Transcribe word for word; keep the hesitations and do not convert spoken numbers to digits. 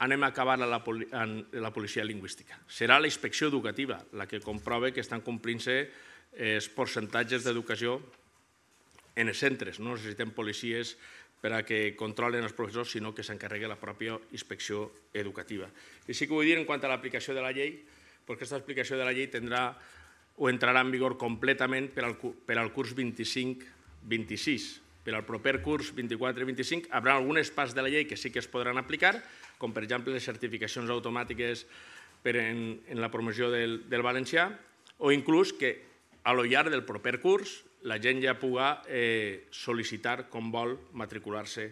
anem a acabar a la policia lingüística. Serà la inspecció educativa la que comprova que estan complint-se els percentatges d'educació en els centres. No necessitem policies per a que controlen els professors, sinó que s'encarregui la pròpia inspecció educativa. I sí que vull dir, en quant a l'aplicació de la llei, perquè aquesta aplicació de la llei tindrà o entrarà en vigor completament per al curs vint-i-cinc vint-i-sis. Per al proper curs vint-i-quatre vint-i-cinc hi haurà algunes parts de la llei que sí que es podran aplicar, com per exemple les certificacions automàtiques en la promoció del valencià, o inclús que a lo llarg del proper curs la gent ja pugui sol·licitar com vol matricular-se